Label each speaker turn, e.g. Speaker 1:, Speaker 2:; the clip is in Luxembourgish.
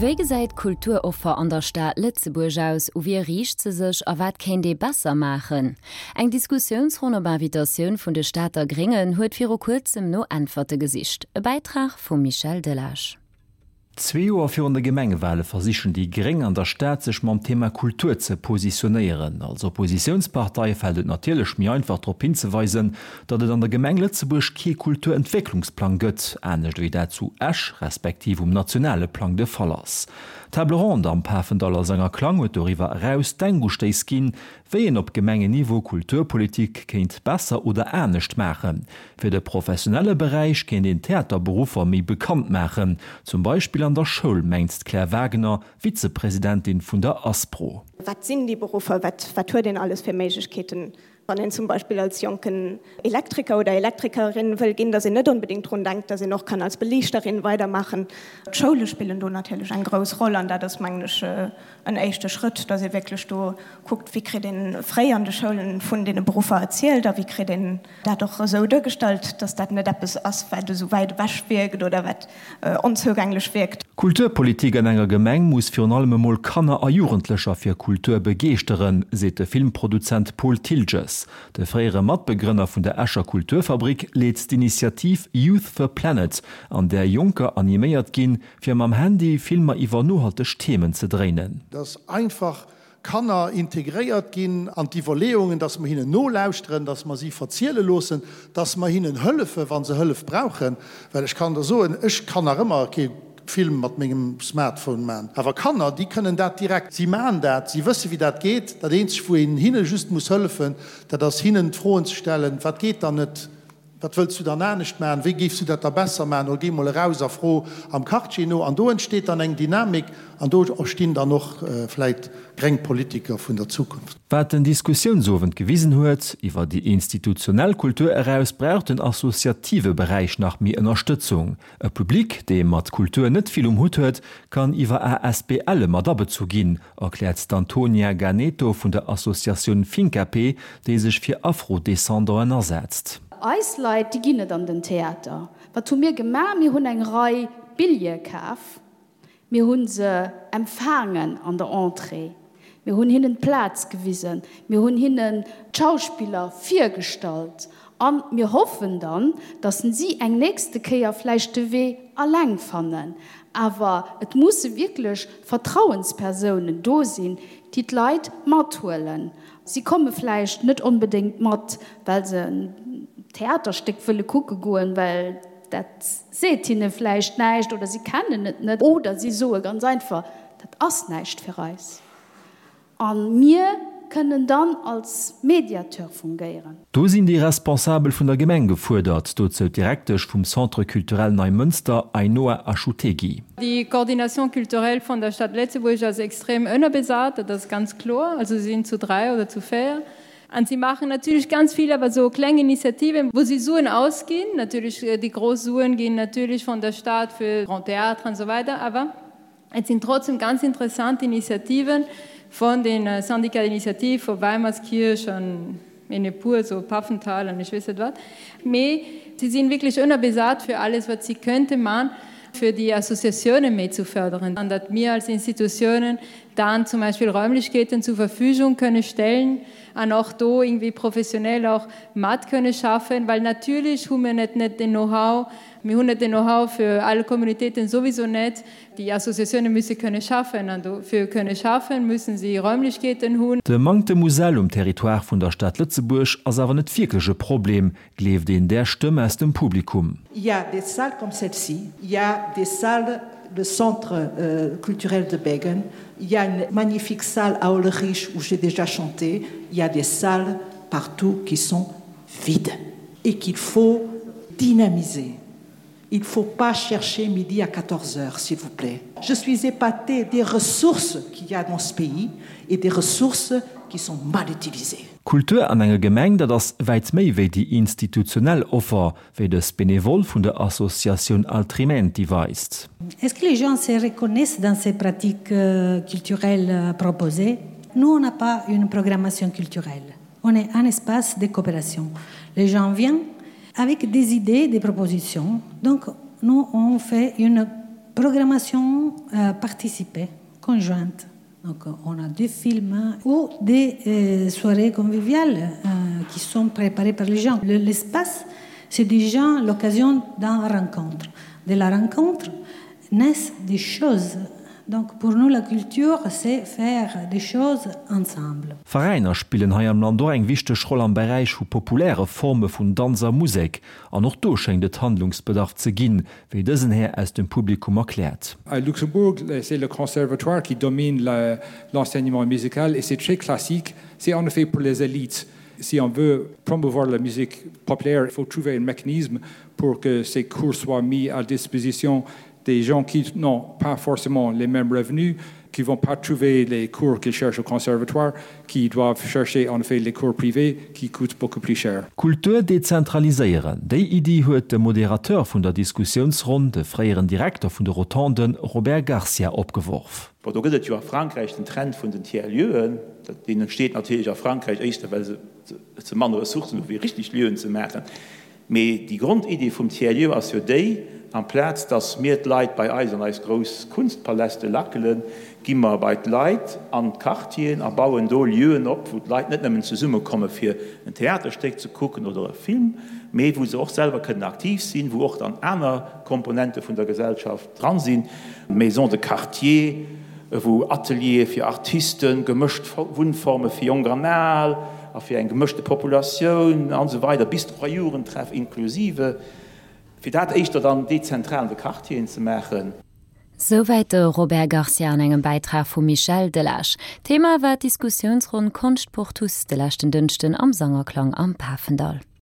Speaker 1: Wéi gesäit d'Kulturoffer an der Stad Lëtzebuerg aus, u wie riicht se sech a wat kéint ee besser maachen? Eng Diskussiounsronn op Invitatioun vun de Stater Gréngen huet viru kuerzem no Äntwerte gesicht. E Bäitrag vum Michel Delage.
Speaker 2: Zwee Joer virun de Gemengewale versichen déi Gréng an der Stad sech mam Thema Kultur ze positionéieren. Als Oppositiounspartei fält et natierlech méi einfach drop hinzeweisen, datt et an der Gemeng Lëtzebuerg kee Kulturentwécklungsplang gëtt, anescht ewéi dat zu Esch respektiv um nationale Plang de Fall ass. D'Table ronde am Pafendaller Sang a Klang huet doriwwer eraus Denkustéiss ginn, wéi een op Gemengenniveau Kulturpolitik kéint besser oder anescht maachen. Fir de professionelle Beräich kéint een d'Theaterberuffer méi bekannt maachen, zum Beispill an der Schoul, mengt d'Claire Wagener, Vizepresidentin vun der Aspro.
Speaker 3: Wat sinn déi Beruffer? Wat huet een alles fir Méiglechkeeten, wann een zum Beispill als jonken Elektriker oder Elektrikerin wëll ginn, datt een net onbedéngt drun denkt, datt een och kann als Beliichterin weidermaachen. D'Schoule spillen do natierlech eng grouss Roll an dat ass, mengen ech, en éischte Schrëtt, datt ee wierklech do kuckt, wéi kritt ee fréi an de Schoulen vun deene Beruffer erzielt a wéi kritt een dat och esou duergestallt, datt dat net eppes ass, wat esou wäit ewech wierkt oder wat onzougänglech wierkt.
Speaker 2: Kulturpolitik an enger Gemeng muss virun allem emol Kanner a Jugendlecher fir Kultur begeeschteren, seet de Filmproduzent Paul Thiltges. De fréiere Matbegrënner vun der Escher Kulturfabrik leet d'Initiativ Youth for Planet, an där Jonker animéiert ginn, fir mam Handy Filmer iwwer nohalteg Themen ze dréinen.
Speaker 4: Dass einfach Kanner integréiert ginn an d'Iwwerleeungen, dass mer hinnen nolauschteren, dass mer si verziele loossen, dass mer hinnen hëllefen, wa se Hëllef brauchen. Well ech kann der soen, ech kann nach ëmmer kee Film mat mengem Smartphone maachen, awer Kanner, déi kënnen dat direkt. Si maachen dat, si wësse wéi dat geet. Dat Eenzegt, wou een hinne just muss hëllefen, dat ass hinnen d'Froen ze stellen, Wat geet dann net? Wat wëlls du dann anescht maachen? Wéi géifs du dat da besser maachen? Oder géi mol eraus a fro am Quartier no. An do entsteet dann eng Dynamik an do erstinn dann och vläit gréng Politiker vun der Zukunft.
Speaker 2: Wat den Diskussiounsowend gewisen huet, Iwwer déi institutionell Kultur eraus brauch den associative Beräich nach méi Ënnerstëtzung. E Public, dee mat Kultur net vill um Hutt huet, kann iwwer ASBLe mat abezu ginn, erkläert d'Antonia Ganeto vun der Associatioun Finkapé, déi sech fir Afro-Descendanten asetzt.
Speaker 5: Eis Leit, déi ginn net an den Theater. Wat hu mir gemaach? Mir hunn eng Rei Billjeeë kaf. Mir hu se empfaangen an der Entrée. Mir hunn hinnen d'Plaz gewisen. Mir hunn hinnen d'Schauspiller virgestallt. A mir hoffen dann, datt si eng nächste Kéier vläicht de Wee alleng fannen. Awer et musse wierklech Vertrauenspersounen do sinn, déi d'Leit mathuelen. Si komme vläicht net onbedéngt mat, well se en Theaterstéck wëlle kucke goen, well dat seet hinne vläicht näischt oder si kennen et net oder si soe ganz einfach, dat ass näischt fir eis. A mir kënnen dann als Mediateur fungéieren.
Speaker 2: Do sinn déi Responsabel vun der Gemeng gefuerdert, dozou d'Direktesch vum Centre culturel Neimënster, Ainhoa Achutegui.
Speaker 6: Déi Coordination culturelle vun der Stad Lëtzebuerg ass extrem ënnerbesat, dat ass ganz kloer. Also si sinn zu dräi oder zu véier. An si maachen natierlech ganz vill awer esou kleng Initiativen, wou si Suen ausginn. Natierlech déi grouss Suen ginn natierlech vun der Stad fir Grand Théâtre an esou weider, awer Et sinn trotzdem ganz interessant Initiativen von den Syndicats d'initiative vu Weimerskirch an Mennepour, so Pfaffenthal an ech weess net wat. Mee si sinn wierklech ënnerbesat fir alles wat si könnte man, fir déi Associatiounen méi zu förderen an datt mir als Institutiounen dann zum Beispill Räumlichkeeten zur Verfügung kënne stellen an och do irgendwie professionell och mat kënne schaffen, well natierlech hu mir net net den Know-how, Mir hunn net den Know-how fir all Communautéiten sowieso net. Déi Associatioune musse kënne schaffen an dofir kënne schaffen, mussen si Räumlechkeeten hunn.
Speaker 2: De Manktem u Säll um Territoire vun der Stad Lëtzebuerg ass awer net wierklech e Problem, gleeft een där Stëmm aus dem Publikum.
Speaker 7: Il y a des salles comme celle-ci, il y a des salles, le centre culturel de Beggen, il y a une magnifique salle à Hollerich où j'ai déjà chanté, il y a des salles partout qui sont vides et qu'il faut dynamiser. Il ne faut pas chercher midi à 14 heures, s'il vous plaît. Je suis épatée des ressources qu'il y a dans ce pays et des ressources qui sont mal utilisées.
Speaker 2: Kultur an enger Gemeng, dat ass wäit méi wéi déi institutionell Offer, wéi dës Benevole vun der Associatioun Altrimenti weist.
Speaker 8: Est-ce que les gens se reconnaissent dans ces pratiques culturelles proposées? Nous, on n'a pas une programmation culturelle. On est un espace de coopération. Les gens viennent avec des idées, des propositions. Donc nous on fait une. programmation euh, participée, conjointe. Donc on a des films ou des euh, soirées conviviales euh, qui sont préparées par les gens. L'espace, c'est déjà l'occasion d'un rencontre. De la rencontre naissent des choses. Donc pour nous la culture c'est faire des choses ensemble.
Speaker 2: Veräiner spillen hei am Land och eng wichteg Roll am Beräich vu populäre Forme vun Danz a Musek, an och do schéngt et Handlungsbedarf ze ginn, wéi dësen Här aus dem Publikum erkläert.
Speaker 9: À Luxembourg, c'est le conservatoire qui domine l'enseignement musical et c'est très classique, c'est en effet pour les élites. Si on veut promouvoir la musique populaire, il faut trouver un mécanisme pour que ces cours soient mis à disposition des gens qui n'ont pas forcément les mêmes revenus, qui vont pas trouver les cours qu'ils cherchent au conservatoire, qui doivent chercher en effet les cours privés qui coûtent beaucoup plus cher.
Speaker 2: Kultur dezentraliséieren, déi Iddi huet de Modérateur vun der Diskussiounsronn, de fréieren Direkter vun de Rotonden, Robert Garcia, opgeworf.
Speaker 10: Bon, do gëtt et jo a Frankräich den Trend vun den Tiers-lieuxen. Deen entsteet natierlech a Frankräich éischter, well se manner Ressourcen hu fir richteg Lieuen ze maachen. Mee déi Grondidee vum Tiers-lieu ass jo déi, amplaz datt mir d'Leit bei eis an eis grouss Kunstpaläste lackelen, gi mer bei d'Leit an d'Quartieren a bauen do Lieuen op, wou d'Leit net nëmmen zesummekomme fir en Theaterstéck ze kucken oder e Film, mee wou se och selwer kënnen aktiv sinn, wou och dann aner Komponente vun der Gesellschaft dran sinn, Maisons de quartier, wou Ateliere fir Artisten, gemëscht Wunnforme fir Jonk an Al a fir eng gemëschte Populatioun an esou weider bis a Jugendtreff inklusive, fir dat éischter dann dezentral an de Quartieren ze maachen.
Speaker 1: Souwäit de Robert Garcia an engem Bäitrag vum Michel Delage. Thema war d'Diskussiounsronn Konscht pour tous de leschten Dënschden am Sangerklang am Pafendall.